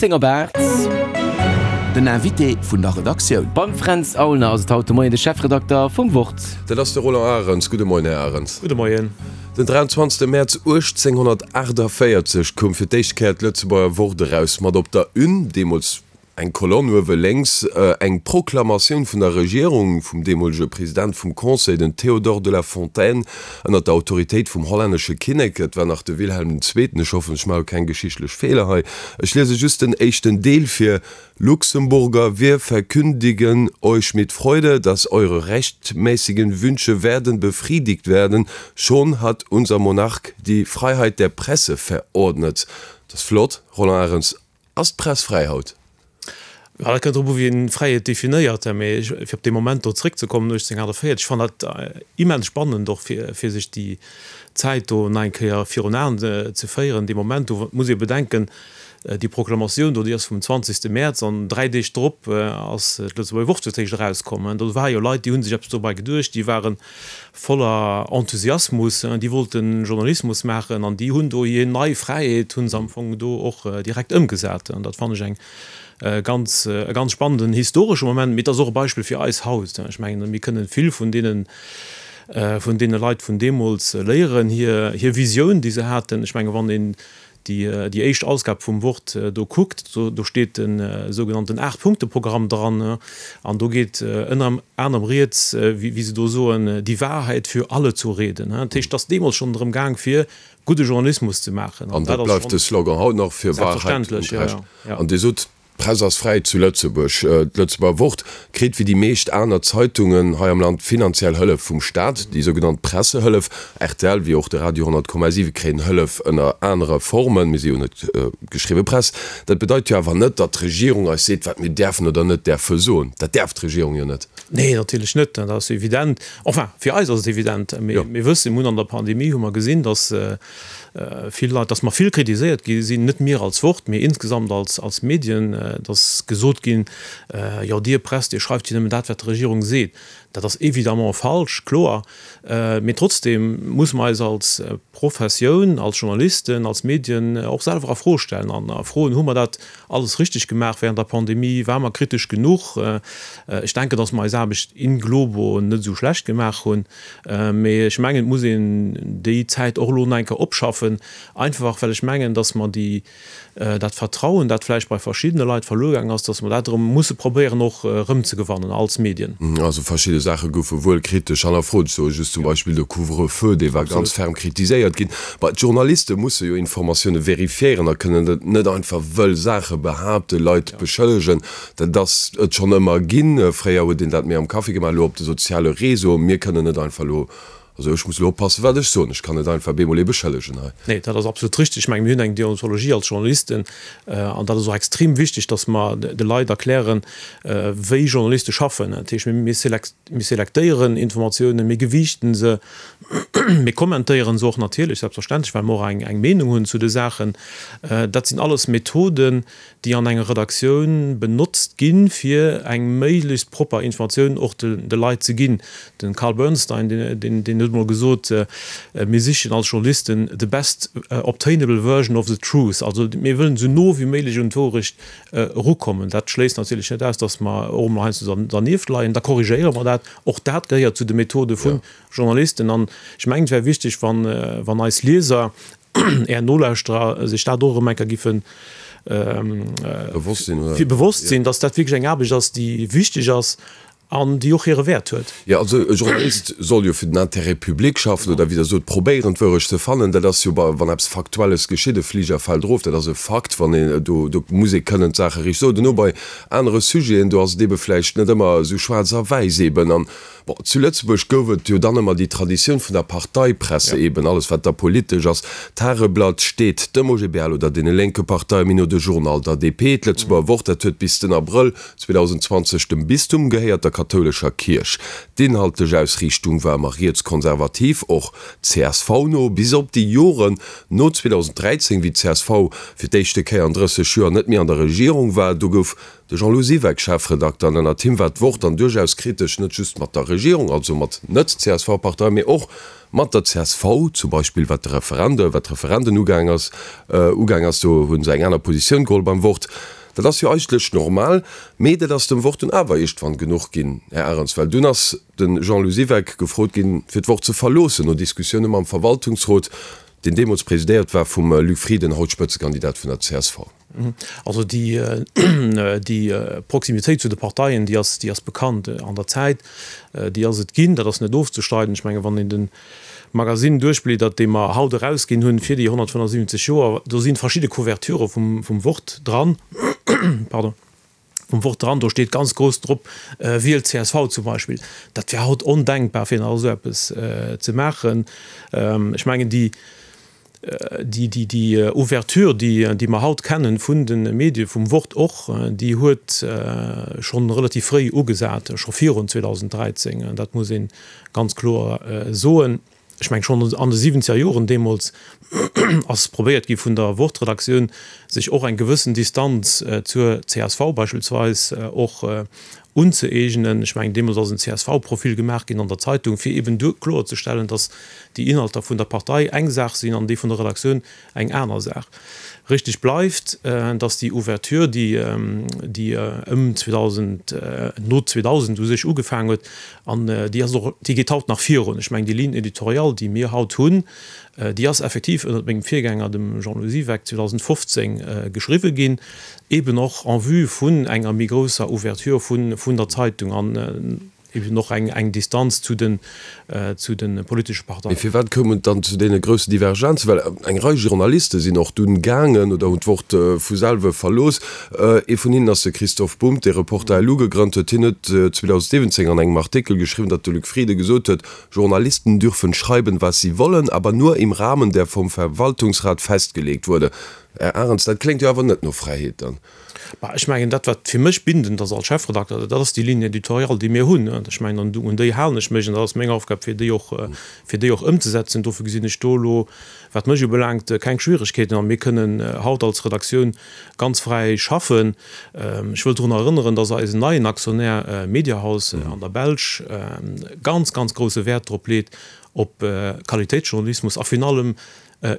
10 op 8. Den Invité vun der Redaktioun. Beim Fränz Aulner ass et haut de Moien de Chefredakter vum Wort. Dat ass de Roland Arens. Gudde Moien, Här Arens. Gudde Moien. Den 23 Mäerz 1848 koum fir d'éischt Kéier d'Lëtzebuerger Wort eraus, mat op der Une, deemools eng Kolonn uewe lénks, eng Proklamatioun vun der Regierung, vum deemolege President vum Conseil, den Théodore de la Fontaine, ënner der Autoritéit vum hollännesche Kinnek, et war nach de Wilhelm den Zweeten, ech hoffen, ech maache keng geschichtlech Feeler hei, ech liese just den éischten Deel vir, Luxemburger, wir verkündigen euch mit Freude, dass eure rechtmäßigen Wünsche werden befriedigt werden, schon hat unser Monarch die Freiheit der Presse verordnet. Dat ass flott, Roland Arens. Ass d'Press fräi haut? Jo, dat kënnt drop u wéi een Fräiheet definéiert. Mee fir op dee Moment do zréckzekommen, 1848, ech fannen dat immens spannend och fir fir sech déi Zäit do nach eng Kéier virun Aen ze féieren. Dee Moment do muss ee bedenken, déi Proklamatioun do, déi ass vum 20 Mäerz an 3 Deeg drop ass d'Lëtzebuerger Wort fir d'éischt erauskomm. Do ware jo Leit, déi hu sech eppes dobäi geduecht, déi waren voller Enthusiasmus, déi wollten Journalismus maachen an déi hunn do hir nei Fräiheet hu se am Fong do och direkt ëmgesat. An dat fannen ech eng ganz, e ganz spannenden historesche Moment, mee et ass och e Beispill fir eis haut. Ech mengen, mir kënnen vill vun deenen, vun deene Leit vun deemools léieren, hir, hir Visioun, déi se haten. Ech mengen, wann een déi déi éischt Ausgab vum Wort do kuckt, do do steet de sougenannten Aacht-Punkte-Programm dran an do geet ënner anerem rieds, wéi wéi se do soen, die Wahrheit für alle zu reden. Dat heescht, et ass deemools schonn drëm gaang fir gudde Journalismus ze maachen. An dat bleift de Slogan haut nach, fir Wahrheit und Recht. An Dir sot, D'Press ass fräi zu Lëtzebuerg. D'Lëtzebuerger Wort kritt wéi déi meescht aner Zeitungen hei am Land finanziell Hëllef vum Staat, déi sougenannt Pressehëllef. Rtl wéi och de Radio 100,7 kréien Hëllef ënner anere Formen. Mir si jo net geschriwwe Press. Dat bedeit jo awer net, datt d'Regierung eis seet, wat mir däerfen oder net däerfe soen. Dat däerf d'Regierung jo net. Nee, natierlech net, dat ass evident. Enfin, fir eis ass et evident. Mee mir wëssen, mir hunn an der Pandemie hu mer gesinn, datt vill Leit, dass mer vill kritiséiert gi sinn, net mir als Wort, mee insgesamt als, als Medien, dass gesot ginn, jo Dir Press, Dir schreift jo nëmmen dat, wat d'Regierung seet. Dat ass évidemment falsch, kloer. Mee trotzdem muss mer eis als Professioun, als Journalisten, als Medien och selwer a Fro stellen an a froen, Hu mer dat alles richteg gemaach während der Pandemie? Ware mer kritesch genuch? Ech denken, dass mer eis Aarbecht in globo net esou schlecht gemaach hunn. Mee ech mengen, et muss een déi Zäit och elo nach eng Kéier opschaffen, einfach well ech mengen, dass mer déi, dat Vertrauen, dat vläicht bei verschiddene Leit verluer gaang ass, dass mer dat erëm musse probéieren och erëmzegewannen als Medien. Also verschidde Saache goufe wuel kritesch hannerfrot. Ech soe just zum Beispill de Couvre-feu, dee war ganz ferm kritiséiert ginn. Bah, d'Journaliste musse jo Informatioune verifiéieren a kënnen net einfach wëll Saache behaapten, Leit beschëllegen. Dat ass et schonn ëmmer ginn. Fréier huet een dat méi am Café gemaach, elo op de soziale Réseauen. Mir kënnen net einfach elo, also ech muss elo oppassen, wat ech soen, ech kann net einfach bemol ee beschëllegen hei. Nee, dat ass absolut richtig. Ech mengen, mir hunn eng Deontologie als Journalisten an dat ass och extrem wichteg, dass mer de Leit erklären, wéi Journaliste schaffen. Dat heescht, mir selektéieren Informatiounen, mir gewiichten se, mir kommentéieren se och natierlech, selbstverständlech, well mer och eng Meenung hunn zu de Saachen. Dat sinn alles Methoden, déi an enger Redaktioun benotzt ginn, fir eng méiglechst propper Informatioun och de Leit ze ginn. De Carl Bernstein, deen huet emol gesot, Mir sichen als Journalisten the best obtainable version of the truth. Also mir wëllen esou no wéi méiglech un d'Wourecht erukommen. Dat schléisst natierlech net aus, datt mer och emol heiansdo dernieft leien. Da korrigéiere mer dat. Och dat gehéiert zu de Methode vu Journalisten. An ech mengen, et wär wichteg, wann eis Lieser, Är Nolauschterer sech dat och erëm eng Kéier giffen bewosst sinn, dass dat wierklech eng Aarbecht ass, déi wichteg ass an déi och hire Wäert huet. Jo, also e Journalist soll jo fir den Intérêt public schaffen oder, wéi Der sot, probéieren d'Wourecht ze fannen. Dat ass jo, wann eppes Faktuelles geschitt, e Fliger fält erof, dat ass e Fakt, wann een, do, do muss ee kënnen d'Saache riicht soen. Duerno bei anere Sujeten, do ass et eebe vläicht net ëmmer esou schwaarz a wäiss eeben. An Bon, zu Lëtzebuerg gouf et jo dann ëmmer déi Traditioun vun der Parteipresse, eben alles wat da politesch ass. D'Tageblatt steet dem OGBL oder deene lénke Parteie méi no, de Journal der DP. D'Lëtzebuerger Wort, dat huet bis den Abrëll 2020 dem Bistum gehéiert, der. kathoulescher Kierch. D'inhaltlech Ausriichtung war ëmmer rietskonservativ, och CSV-no, bis op déi Joren no 2013, wéi d'CSV fir d'éischte Kéier an 30 Joer net méi an der Regierung war. Do gouf de Jean-Lou Siweck Chefredakter an ënnert him war d'Wort dann duerchaus kritesch, net just mat der Regierung, also mat net-CSV-Parteien, mee och mat der csv, zum Beispill wat de Referende, wat d'Referenden ugaang ass, ugaang ass. Do hu se eng aner Positioun geholl beim Wort. Dat ass jo eigentlech normal, mee dat ass dem Wort dunn awer iergendwann genuch ginn, Här Arens, well dunn ass de Jean-Lou Siweck gefrot ginn, fir d'Wort ze verloossen, no Diskussioune mam Verwaltungsrot, deen deemools presidéiert war vum Luc Frieden, haut Spëtzekandidat vun der csv. Also déi, déi Proximitéit zu de Parteien, déi ass, déi ass bekannt an der Zäit, déi ass et ginn, dat ass net ofzestreiden. Ech mengen, wann een de Magasinn duerchbliedert, dee mer haut erausginn hunn fir déi 175 Joer, do si verschidde Couverturë vum, vum Wort dran, pardon, vum Wort dran, do steet ganz grouss drop, Wielt csv zum Beispill. Dat wär haut ondenkbar, fir nach esou eppes ze maachen. Ech mengen, déi, déi, déi, déi Ouverture, déi, déi mer haut kennen vun de Medie, vum Wort och, déi huet schonn relativ fréi ugesat, scho virun 2013, dat muss ee ganz kloer soen. Ech mengen, schonn an de siwwenzeger Joren deemools ass probéiert gi vun der Wort-Redaktioun, sech och eng gewëssen Distanz zur csv beispillsweis och unzëeegnen. Ech mengen, deemools ass en CSV-Profil gemaach ginn an der Zeitung, fir eben duer kloerzestellen, datt déi Inhalter vun der Partei eng Saach sinn an déi vun der Redaktioun eng aner Saach. Richteg bleift, datt déi Ouverture, déi, déi ëm 2000, no 2000 u sech ugefaangen huet, an déi ass och, déi geet haut nach virun. Ech mengen, déi Ligne éditoriale, déi mir haut hunn, déi ass effektiv ënnert mengem Virgänger, dem Jean-Louis Siweck, 2015 geschriwwe ginn, eben och en vue vun enger méi grousser Ouverture vun, vun der Zeitung an, Eben och eng Distanz zu den zu de politesche Parteien. Mee firwat koum et dann zu deene groussen Divergenzen? Well eng Rei Journaliste sinn och dunn gaangen oder hunn d'Wort vu selwe verlooss. Ee vun hinnen ass de Christoph Bumb, dee Reporter.lu gegrënnt huet. Hien huet 2017 an engem Artikel geschriwwen, datt de Luc Frieden gesot huet, Journalisten dürfen schreiben, was sie wollen, aber nur im Rahmen, der vom Verwaltungsrat festgelegt wurde. Här Arens, dat kléngt jo awer net no Fräiheet dann. Bah, ech mengen, dat, wat fir mech bindend ass als Chefredakter, dat ass déi Ligne éditoriale, déi mir hunn. Ech mengen, an un déi halen ech mech an dat ass meng Aufgab, fir déi och, fir déi och ëmzesetzen. Dofir gesinn ech do elo, wat mech ubelaangt, keng Schwieregkeeten a mir kënnen haut als Redaktioun ganz fräi schaffen. Ech wëll drun erënneren, dass eisen neien Aktionär Mediahaus an der Belsch ganz, ganz grousse Wäert drop leet, op Qualitéitsjournalismus a virun allem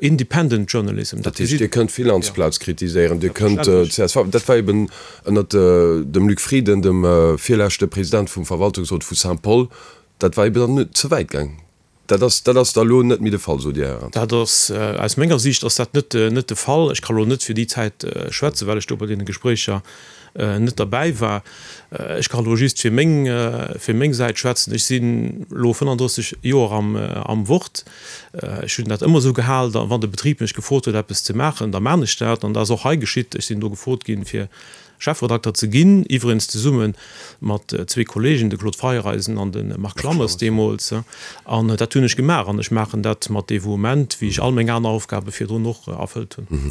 Independent Journalism, dat heescht, Dir kënnt d'Finanzplaz kritiséieren, Dir kënnt d'CSV, dat war eben ënnert dem Luc Frieden, dem virleschte President vum Verwaltungsrot vu Saint-Paul, dat war eben dann ze wäit gaang. Dat ass, dat ass da elo net méi de Fall, sot Dir, Här Arendt? Dat ass, aus menger Siicht ass dat net, net de Fall. Ech ka elo net fir déi Zäit schwätzen, well ech do bei deene Gespréicher net derbäi war. Ech kann elo just fir meng, fir meng Säit schwätzen. Ech sinn elo 35 Joer am, am Wort. Ech hunn dat ëmmer esou gehal, da wann de Betrib mech gefrot huet eppes ze maachen, da maan ech dat. An dat ass och hei geschitt. Ech sinn do gefrot ginn, fir Chefredakter ze ginn, iwwregens zesumme mat zwee Kollegen, de Claude Feiereisen an de Marc Lammers deemools. An dat hunn ech gemaach an ech maachen dat mat Devouement, wéi ech all meng aner Aufgabe virdrun och erfëllt hunn.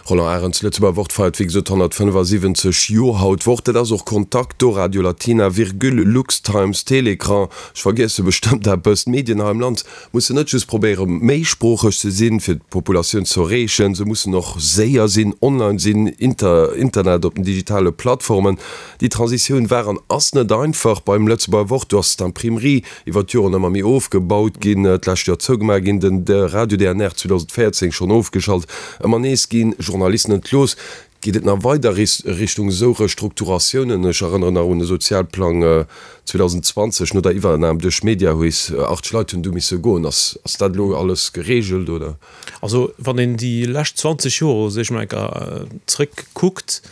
Roland Arens, Lëtzebuerger Wort feiert wéi gesot 175 Joer haut. Wort, dat ass och Contacto, Radio Latina, Virgule, Lux-Times, Télécran, ech vergiesse bestëmmt eppes. D'Medien hei am Land mussen net just probéiere méisproocheg ze sinn, fir d'Populatioun ze erreechen, se mussen och séier sinn, online sinn, Internet, op den digitale Plattformen. Déi Transitioun war an ass net einfach beim Lëtzebuerger Wort. Do ass d'Imprimerie iwwer d'Joren ëmmer méi ofgebaut ginn, d'lescht Joer zougemaach ginn, den Radio DNR 2014 schonn ofgeschalt. Ëmmer nees gi Journalisten entlooss. Geet et nach weider Richtung esou Restrukturatiounen? Ech erënneren nach un de Sozialplang 2020 no der Iwwernam duerch Mediahuis. 80 Leit hunn du misse goen. Ass dat elo alles gereegelt, oder? Also wann een déi lescht 20 Joer u sech mol eng Kéier zréckkuckt,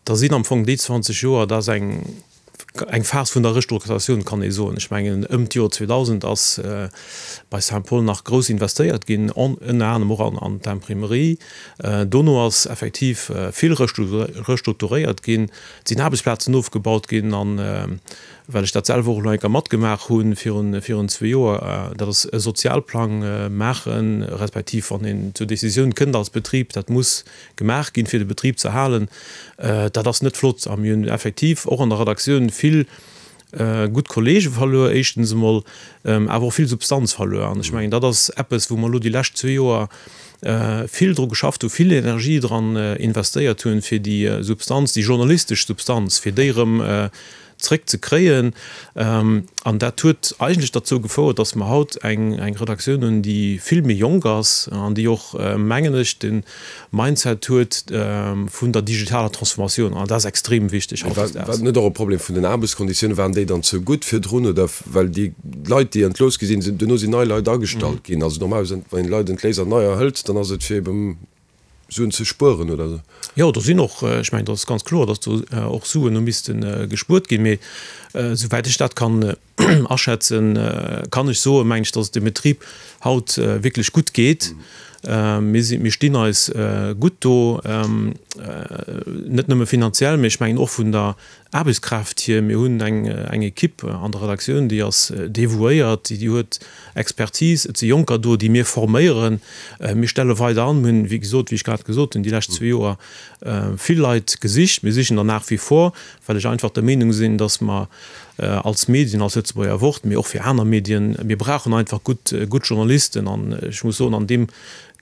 da sinn am Fong déi 20 Joer, dat ass eng eng Phas vun der Restrukturatioun, kann ee soen. Ech mengen, ëm d'Joer 2000 ass bei Saint-Paul nach grouss investéiert ginn, ënner anerem och an d'Imprimerie. Dono ass effektiv vill restrukturéiert ginn, et sinn Aarbechtsplazen ofgebaut ginn. An well ech dat selwer och elo eng Kéier matgemaach hu virun zwee Joer, dat ass e Sozialplang maachen, respektiv wann een zur Decisioun kënnt als Betrib, dat muss gemaach ginn, fir de Betrib ze erhalen, dat ass net flott. A mir hunn effektiv och an der Redaktioun vill. Gutt Kollege verluer, éischtens emol, awer och vill Substanz verluer. An ech mengen, dat ass eppes, wou mer elo déi lescht zwee Joer vill dru geschafft hunn, vill Energie dran investéiert hunn, fir déi Substanz, déi journalistesch Substanz, fir déi erëm zréck ze kréien. An dat huet eigentlech derzou gefouert, dass mer haut eng Redaktioun hunn, déi vill méi jonk ass an déi och, mengen ech, de Mindset huet vun der digitaler Transformatioun. An dat ass extrem wichteg hautdesdaags. War net och e Problem vun den Aarbechtskonditiounen? Waren déi dann ze gutt virdrun oder well déi Leit, déi entlooss gi sinn, duerno sinn nei Leit agestallt ginn? Also normalerweis, wann een Leit entléisst an neier hëlt, dann ass et fir eben Suen ze spueren oder esou? Jo, do sinn och, ech mengen, dat ass ganz kloer, datt do och Suen hu misste gespuert ginn. Mee esouwäit ech dat kann aschätzen, kann ech soen, mengen ech, datt et dem Betrib haut wierklech gutt geet. Mir sinn, mir stinn eis gutt do, net nëmme finanziell, mee ech mengen och vun der Aarbechtskraaft hier. Mir hunn eng eng Equipe an der Redaktioun, déi ass devouéiert, déi huet Expertise. Et si Jonker do, déi mir forméieren. Mir stelle weider an. Mir hunn, wéi gesot, wéi ech grad gesot hunn, déi lescht zwee Joer vill Leit gesicht. Mir sichen der nach wie vor, well ech einfach der Meenung sinn, datt mer als Medien, als Lëtzebuerger Wort, mee och fir aner Medien, mir brauchen einfach gutt gutt Journalisten. An ech muss soen, an deem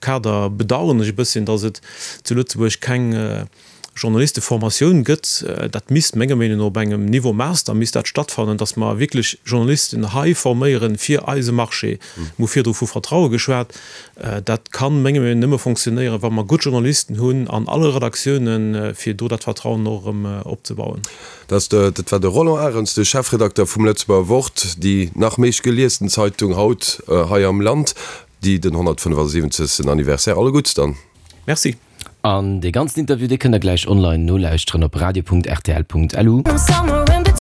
Kader bedauern ech e bësschen, datt et zu Lëtzebuerg keng Journalisteformatioun gëtt, dat misst menger Meenung no op engem Niveau Master misst dat stattfannen, datt mer wierklech Journalisten hei forméieren fir eise Marché. Mir hu virdru vu Vertraue geschwat. Dat kann menger Meenung no nëmme fonctionnéieren, wa mer gutt Journalisten hunn an alle Redaktiounen, fir do dat Vertrauen och erëm opzebauen. Dat war de Roland Arens, de Chefredakter vum Lëtzebuerger Wort, déi nach meescht geliesten Zeitung haut hei am Land, déi den 175. Anniversaire. Alle Gutts dann. Merci. An dee ganzen Interview, dee kënnt der gläich online nolauschteren op radio.rtl.lu.